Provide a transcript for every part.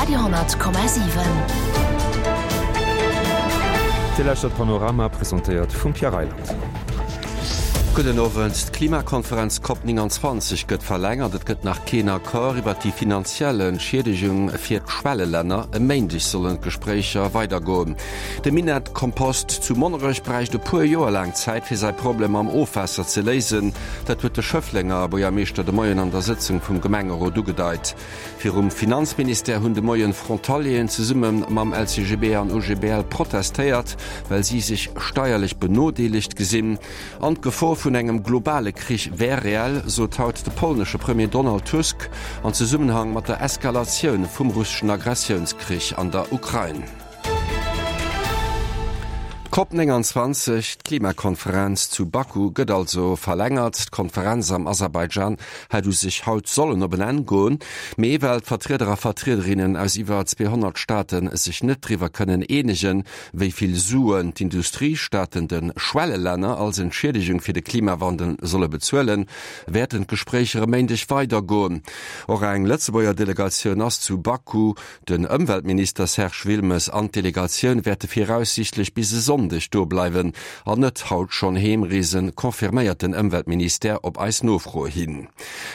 Radio,7. Dir lauschtert Panorama, presentéiert vum Pierre Reyland. Gudden Owend. D'Klimakonferenz Cop 29 gëtt verlängert. Et gëtt nach keen Accord iwwer déi finanziell Entschiedegung fir d'Schwellelänner. E Méindeg sollen d'Gespréicher weidergoen. De Minett-Kompost zu Monnerech bräicht e puer Joer laang Zäit, fir säi Problem mam Ofwaasser ze léisen. Dat huet de Schëfflenger Buergermeeschter de Moien an der Sëtzung vum Gemengerot ugedeit. Virum Finanzministère hunn de Moien Frontalieren zesumme mam LCGB an OGBL protestéiert, well si sech steierlech benodeelegt gesinn. An d'Gefor vun engem globale Krich wär reell, sot haut de polnesche Premier Donald Tusk an Zesummenhang mat der Eskalatioun vum russeschen Agressiounskrich an der Ukrain. D'Cop 29, d'Klimakonferenz zu Baku, gëtt also verlängert. D'Konferenz am Aserbaidschan hätt u sech haut sollen op en Enn goen, mee well d'Vertrieder a Vertriederinnen aus iwwer 200 Staate sech net driwwer kënnen eenegen, wéi vill Suen d'Industriestaaten de Schwellelänner als Entschiedegung fir de Klimawandel solle bezuelen, wäerten d'Gespréicher e Méindeg weidergoen. Och eng Lëtzebuerger Delegatioun ass zu Baku. Den Ëmweltminister Serge Wilmes an d'Delegatioun wäerte viraussiichtlech bis e Sonndeg do bleiwen an net haut schonn heemreesen, confirméiert den Ëmweltministère op eis Nofro hin.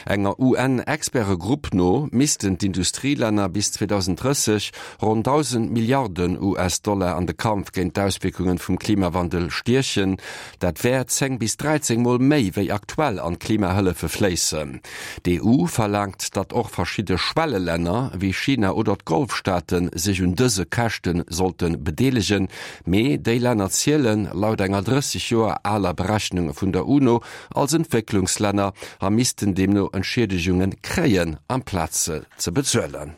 Enger UN-Expertegrupp no missten d'Industrielänner bis 2030 ronn 1.000 Milliarden US-Dollar an de Kampf géint d'Auswierkunge vum Klimawandel stiechen. Dat wär 10 bis 13 Mol méi wéi aktuell an d'Klimahëllefe fléissen. D'EU verlaangt, datt och verschidde Schwellelänner, wéi China oder d'Golfstaate sech un dëse Käschte sollte bedeelegen. Mee déi Länner zielen, laut enger 30 Joer aler Berechnung vun der UNO, als Entwécklungslänner a missten deemno Entschiedegunge kréien, amplaz se ze bezuelen.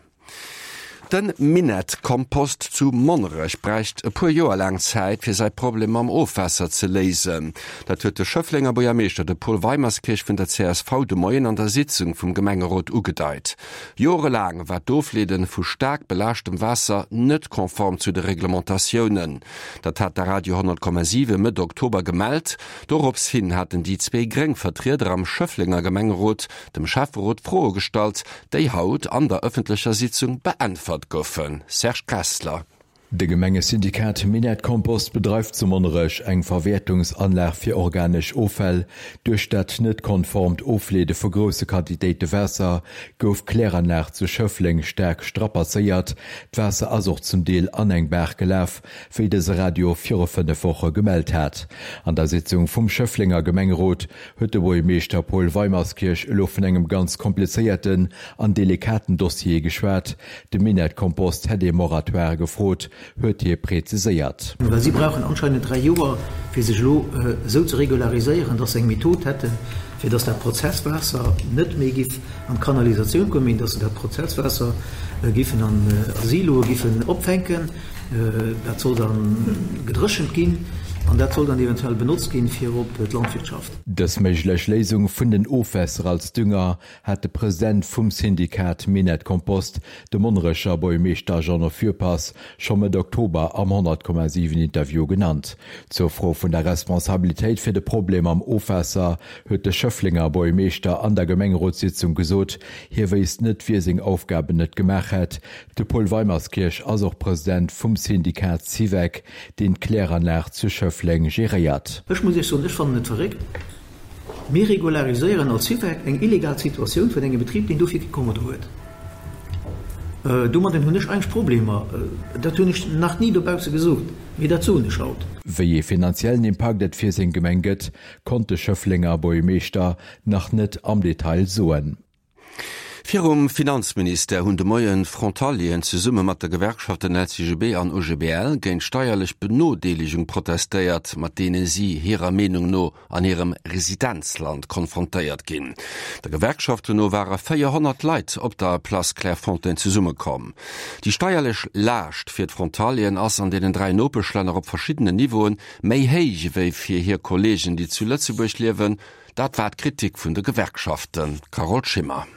Den Minett-Kompost zu Monnerech bräicht e puer Joer laang Zäit, fir säi Problem mam Ofwaasser ze léisen. Dat huet de Schëfflenger Buergermeeschter, de Paul Weimerskirch vun der csv, de Moien an der Sitzung vum Gemengerot ugedeit. Jorelaang war d'Ofleede vu staark belaaschtem Waasser net konform zu de Reglementatiounen. Dat hat de Radio 100,7 Mëtt Oktober gemellt. Dorops hin haten déi zwee gréng Vertrieder am Schëfflenger Gemengerot dem Schäfferot Froe gestallt, déi haut an der ëffentlecher Sitzung beäntwert goufen. Serge Kessler. De Gemengesyndikat Minett Kompost bedreift zu Monnerech eng Verwäertungsanlag fir organesch Offäll. Duerch dat net konformt Ofleede vu grousse Quantitéite Waasser gouf d'Kläranlag zu Schëffleng staark strapazéiert. D'Waasser ass och zum Deel an eng Baach gelaf, wéi dëse Radio viru 5 Woche gemellt hat. An der Sitzung vum Schëfflenger Gemengerot huet de Buergermeeschter Paul Weimerskirch elo vun engem ganz komplizéierten an delikaten Dossier geschwat. De Minett-Kompost hätt ee Moratoire gefrot, huet hie preziséiert. Well si brauchen anscheinend 3 Joer, fir sech elo esou ze regulariséieren, dass se eng Method hätten, fir dass dat Prozesswaasser net méi giff an d'Kanalisatioun kommen, mee dass se dat Prozesswaasser giffen an Siloe giffen opfänken. Dat soll da gedréchent ginn an dat soll dann eventuell benotzt ginn fir op d'Landwirtschaft. Dës méiglech Léisung vun den Ofwässer als Dünger hat de President vum Syndikat Minett Kompost, de Monnerecher Buergermeeschter Jeannot Fürpass, scho Mëtt Oktober am 100,7 Interview genannt. Zur Fro vun der Responsabilitéit fir de Problem mam Ofwaasser huet de Schëfflenger Buergermeeschter an der Gemengerotssitzung gesot, hie wéisst net, wie seng Aufgaben net gemaach hätt. De Paul Weimerskirch ass och President vum Syndikat Syvec, deen d'Kläranlag zu Schëffleng geréiert. Ech muss Iech soen, ech fannen et verréckt. Mir regulariséieren als Syvec eng illegal Situatioun vun engem Betrib, deen dofir kee Kommodo huet. Domadden hunn ech eigentlech Problemer. Dat hunn ech nach ni dobausse gesot, mee dat soen ech haut. Wéi ee finanziellen Impakt et fir seng Gemeng gëtt, konnt de Schëfflenger Buergermeeschter nach net am Detail soen. Virum Finanzministère hunn de Moien d'Frontalieren zesumme mat de Gewerkschaften LCGB an OGBL géint steierlech Benodeelegung protestéiert, mat deene si hirer Meenung no an hirem Residenzland konfrontéiert ginn. Der Gewerkschaften no ware 400 Leit op der Place Clairefontaine zesummekomm. Déi steierlech Laascht fir d'Frontalieren ass an deenen 3 Nopeschlänner op verschiddenen Niveauen méi héich ewéi fir hir Kolleegen, déi zu Lëtzebuerg liewen. Dat war d'Kritik vun de Gewerkschaften, Carole Schimmer.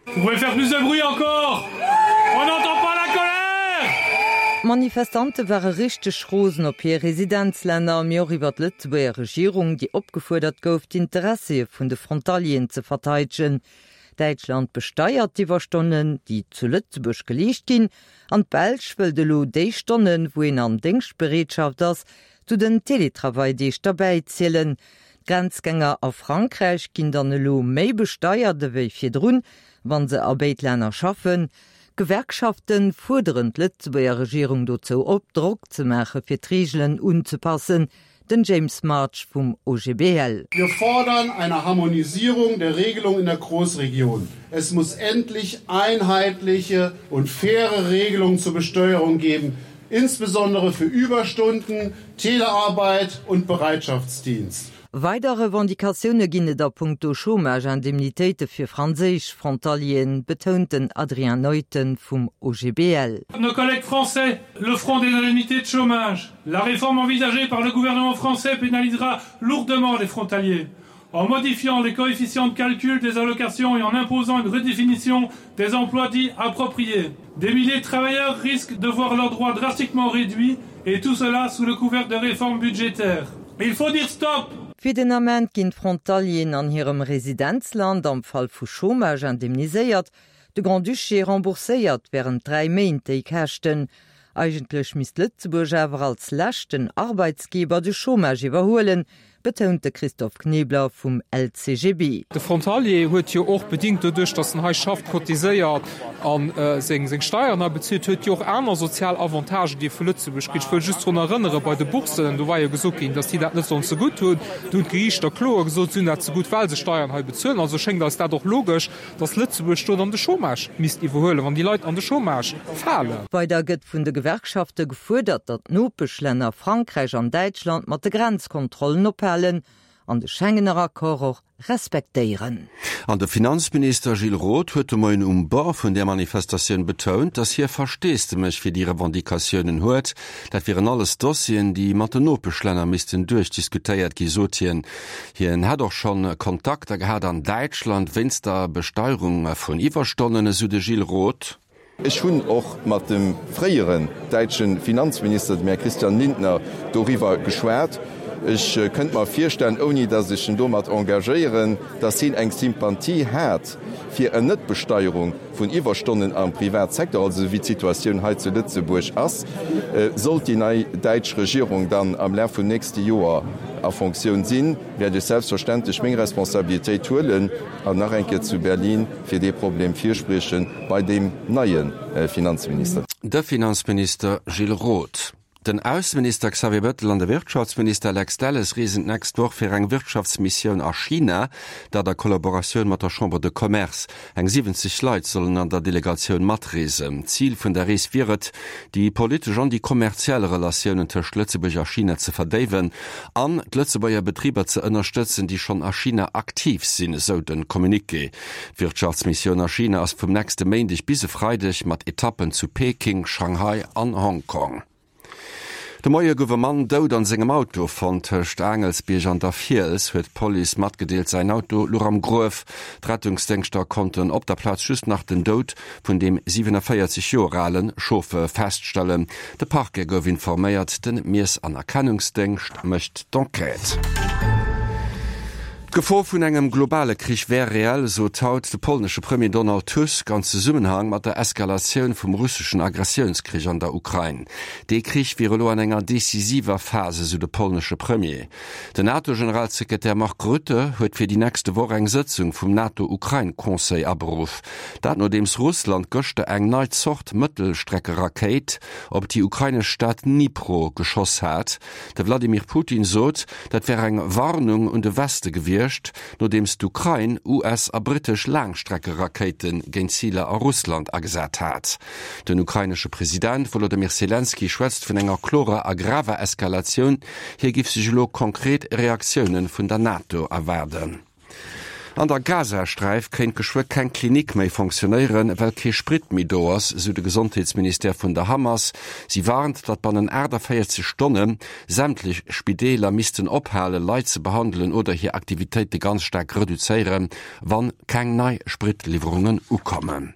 Vous pouvez faire plus de bruit encore! On n'entend pas la colère! D'Manifestante ware richteg rosen op hir Residenzlänner, mee och iwwer d'Lëtzebuerger Regierung, déi opgefuerdert gouf, d'Interessie vun de Frontalieren ze verteidegen. Däitschland besteiert d'Iwwerstonnen, déi zu Lëtzebuerg geleescht ginn, an d'Belsch wëllt elo déi Stonnen, wou een an Déngschtbereetschaft ass, zu den Teletravail-Deeg derbäizielen. D'Grenzgänger a Frankräich ginn dann elo méi besteiert ewéi virdrun, wa se a béid Länner schaffen. D'Gewerkschafte fuerderen d'Lëtzebuerger Regierung dozou op, Drock ze maache fir d'Reegelen unzepassen. Den James March vum OGBL. Wir fordern eine Harmonisierung der Regelung in der Großregion. Es muss endlich einheitliche und faire Regelungen zur Besteuerung geben, insbesondere für Überstunden, Telearbeit und Bereitschaftsdienst. Weider Revendicatioune ginn et a punkto Chômage-Indemnitéite fir franséisch Frontalieren, betount den Adrien Neuten vum OGBL. Nos collègues français le front des indemnités de chômage. La réforme envisagée par le gouvernement français pénalisera lourdement les frontaliers. En modifiant les coefficients de calcul des allocations et en imposant une redéfinition des emplois dits appropriés. Des milliers de travailleurs risquent de voir leurs droits drastiquement réduits et tout cela sous le couvert de réformes budgétaires. Il faut dire stop! Fir den Ament ginn d'Frontalieren an hirem Residenzland am Fall vu Chômage indemniséiert. De Grand-Duché rembourséiert wärend 3 Méint déi Käschten. Eigentlech misst Lëtzebuerg awer als leschten Arbeitsgeber de Chômage iwwerhuelen, betount de Christophe Knebler vum LCGB. De Frontalier huet jo och, bedingt doduerch, datt en hei schafft, cotiséiert a seng Steieren hei bezilt, huet jo och aner sozial Avantagen, déi e vu Lëtzebuerg kritt. Ech wëll just drun erënnere bei de Boursen, do war jo gesot ginn, datt déi dat net sollen zegutt hunn. Do hunn d'Geriichter kloer gesot, si hunn dat zegutt, well se Steieren hei bezuelen. Also schéngt eis dat och logesch, datt Lëtzebuerg do dann de Chômage misst iwwerhuelen, wann déi Leit an de Chômage falen. Weider gëtt vun de Gewerkschafte gefuerdert, datt d'Nopeschlänner Frankräich an Däitschland mat de Grenzkontrollen ophalen an de Schengener Accord och respektéieren. An de Finanzminister Gilles Roth huet de Moien um Bord vun där Manifestatioun betount, datt hie Versteesdemech fir déi Revendicatiounen huet. Dat wieren alles Dossieren, déi mat den Nopeschlänner missten duerchdiskutéiert gi, sot hien. Hien hätt och schonn Kontakter gehat an Däitschland wéinst der Besteierung vun Iwwerstonnen, esou de Gilles Roth. Ech hunn och mat dem fréieren däitsche Finanzminister, dem Här Christian Lindner, doriwwer geschwat. Ech kënnt mer virstellen, ouni datt ech en domat engagéieren, datt hien eng Sympathie hat fir en Netbesteierung vun Iwwerstonnen am Privatsecteur, also esou wéi d'Situatioun hei zu Lëtzebuerg ass. Sollt déi nei däitsch Regierung dann am Laf vum nächste Joer a Fonctioun sinn, wäert ech selbstverständlech meng Responsabilitéit huelen an nach eng Kéier zu Berlin fir dee Problem virsprieche bei deem neie Finanzminister. De Finanzminister Gilles Roth. Den Ausseminister Xavier Bettel an de Wirtschaftsminister Lex Delles reesen d'nächst Woch fir eng Wirtschaftsmissioun a China, dat a Kollaboratioun mat der Chambre de Commerce. Eng 70 Leit sollen an der Delegatioun matreesen. Zil vun der Rees wier et, déi politesch an déi kommerziell Relatiounen tëscht Lëtzebuerg a China ze verdéiwen an d'Lëtzebuerger Betriber ze ënnerstëtzen, déi schonn a China aktiv sinn, esou de Communiqué. D'Wirtschaftsmissioun a China ass vum nächste Méindeg bis e Freideg mat Etappen zu Peking, Shanghai an Hongkong. De Moie gouf e Mann dout an sengem Auto fonnt. Tëscht Aangelsbierg an der Fiels huet d'Police matgedeelt. Säin Auto louch am Gruef. D'Rettungsdéngschter konnten op der Plaz just nach den Doud vun deem 47 Joer ale Chauffeur feststellen. De Parquet gouf informéiert. Den Miess an Erkennungsdéngscht mécht d'Enquête. D'Gefor vun engem globale Krich wär reell, sot haut de polnesche Premier Donald Tusk an Zesummenhang mat der Eskalatioun vum russeschen Agressiounskrich an der Ukrain. Dee Krich wier elo an enger decisiver Phas, esou de polnesche Premier. Den NATO-Generalsekretär Mark Rutte huet fir déi nächste Woch eng Sëtzung vum NATO-Ukrain-Conseil aberuff. Dat nodeems Russland gëschter eng nei Zort Mëttelstreckerakéit op déi ukrainesch Stad Dnipro geschoss hat. De Wladimir Putin sot, dat wär eng Warnung un de Weste gewiescht, nodeems d'Ukrain US a brittesch Laangstreckerakéite géint Ziler a Russland agesat hat. Den ukrainesche President Wolodymyr Selenskyj schwätzt vun enger klorer a graver Eskalatioun. Hie giff sech elo konkret Reaktioune vun der NATO erwaarden. An der Gazasträif kéint geschwë keng Klinik méi fonctionnéieren, well kee Sprit méi do ass, esou de Gesondheetsministère vun der Hamas. Si warnt, datt bannen 48 Stonne sämtlech Spideeler missten ophale Leit ze behandelen oder hir Aktivitéite ganz staark reduzéieren, wann keng nei Spritliwwerungen ukommen.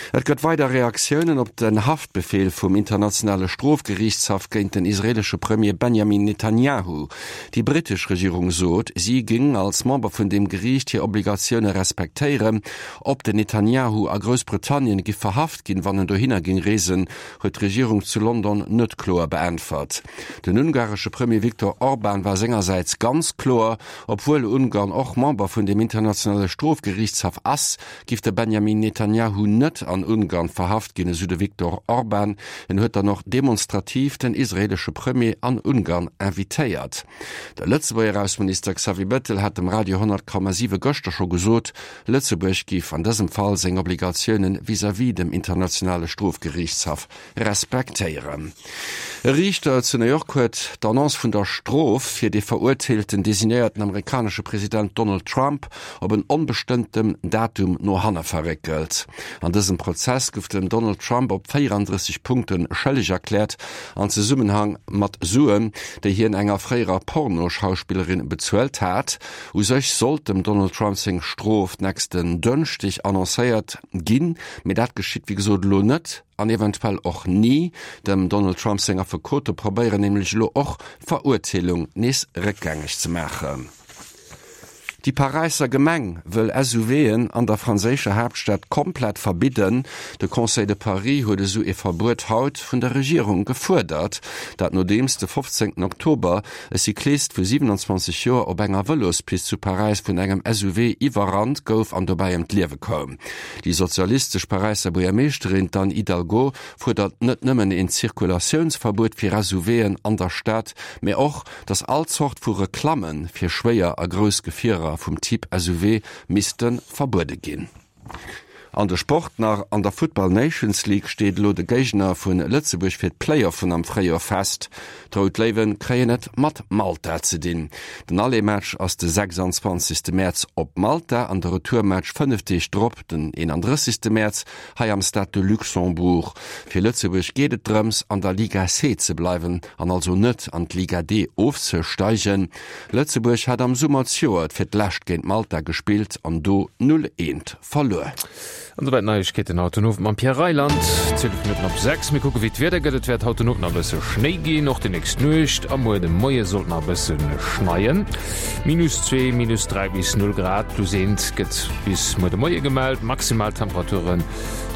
Et gëtt weider Reaktiounen op den Haftbefeel vum Internationale Strofgeriichtshaff géint den israeelesche Premier Benjamin Netanjahu. Déi brittesch Regierung sot, si géing als Member vun deem Geriicht hir Obligatioune respektéieren. Ob den Netanjahu a Groussbritannien giff verhaft ginn, wann en dohinner géing reesen, huet d'Regierung zu London net kloer beäntwert. Den ungaresche Premier Viktor Orban war sengersäits ganz kloer, Obwuel Ungarn och Member vun dem Internationale Strofgeriichtshaff ass, giff de Benjamin Netanjahu net an Ungarn verhaft ginn, esou de Viktor Orban. En huet dann och demonstrativ den israeelesche Premier an Ungarn invitéiert. De Lëtzebuerger Ausseminister Xavier Bettel hat dem Radio 100,7 gëschter scho gesot, Lëtzebuerg giff an dësem Fall seng Obligatioune vis-à-vis dem Internationale Strofgeriichtshaff respektéieren. E Riichter zu New York huet d'Annonce vun der Strof fir dee verurteelten designéierten amerikanesche President Donald Trump op en onbestëmmtem Datum no hanne verréckelt. An dësem Prozess gouf den Donald Trump op 34 Punkte schëlleg erkläert, an Zesummenhang mat Suen, déi hien enger fréierer Pornoschauspillerin bezuelt hat. U sech sollt dem Donald Trump seng Strof d'nächsten Dënschdeg annoncéiert ginn, mee dat geschitt wéi gesot elo net an eventuell och ni. Dem Donald Trump seng Affekote probéieren nämlech elo och d'Verurteelung nees réckgängeg ze maachen. Déi Paräisser Gemeng wëll SUVen an der franséischer Haaptstad komplett verbidden. De Conseil de Paris huet esou ee Verbuet haut vun der Regierung gefuerdert. Dat nodeems de 15 Oktober e Cyclist vu 27 Joer op enger Vëlospist zu Paräis vun engem SUV iwwerrannt gouf an dobäi ëm d'Liewe koum. Déi sozialistesch Paräisser Buergermeeschterin, d'Anne Hidalgo, fuerdert net nëmmen een Zirkulatiounsverbuet fir SUVen an der Stad, mä och, datt all Zort vu Reklamme fir schwéier a grouss Gefierer vum Typ SUV misste verbuede ginn. An de Sport nach, An der Futtball Nations League steet elo de Géigner vu Lëtzebuerg fir d'Playoffen am Fréijoer fest. D'Rout Léiwe kréien et mat Malta ze dinn. Den Aller-Match ass de 26. Mäerz op Malta an de Retourmatch 5 Deeg drop, den 31. Mäerz, hei am Stade de Luxembourg. Fir Lëtzebuerg geet et drëms, an der Liga C ze bleiwen an also net an d'Liga D ofzesteigen. Lëtzebuerg hat am Summer zejoert fir d'lescht géint Malta gespillt an do 0, 1 verluer. An souwäit d'Neiegkeeten haut den Owend mam Pierre Reyland. 12 Minutten op 6. Mir kucke wéi d'Wieder gëtt. Et wäert haut den Owend nach e bësse Schnéi ginn, och déi nächst Nuecht a muer de Moie sollt nach e bësse schneien. Minus 2, minus 3 bis 0 Grad, plus eent gëtt bis muer de Moie gemellt. Maximal Temperaturen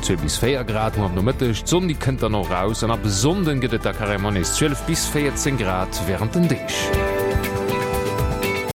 2 bis 4 Grad muer am Nomëtteg. D'Sonn déi kënnt dann och raus an ab e Sonnden gëtt et da carrément nees 12 bis 14 Grad wärend den Deeg.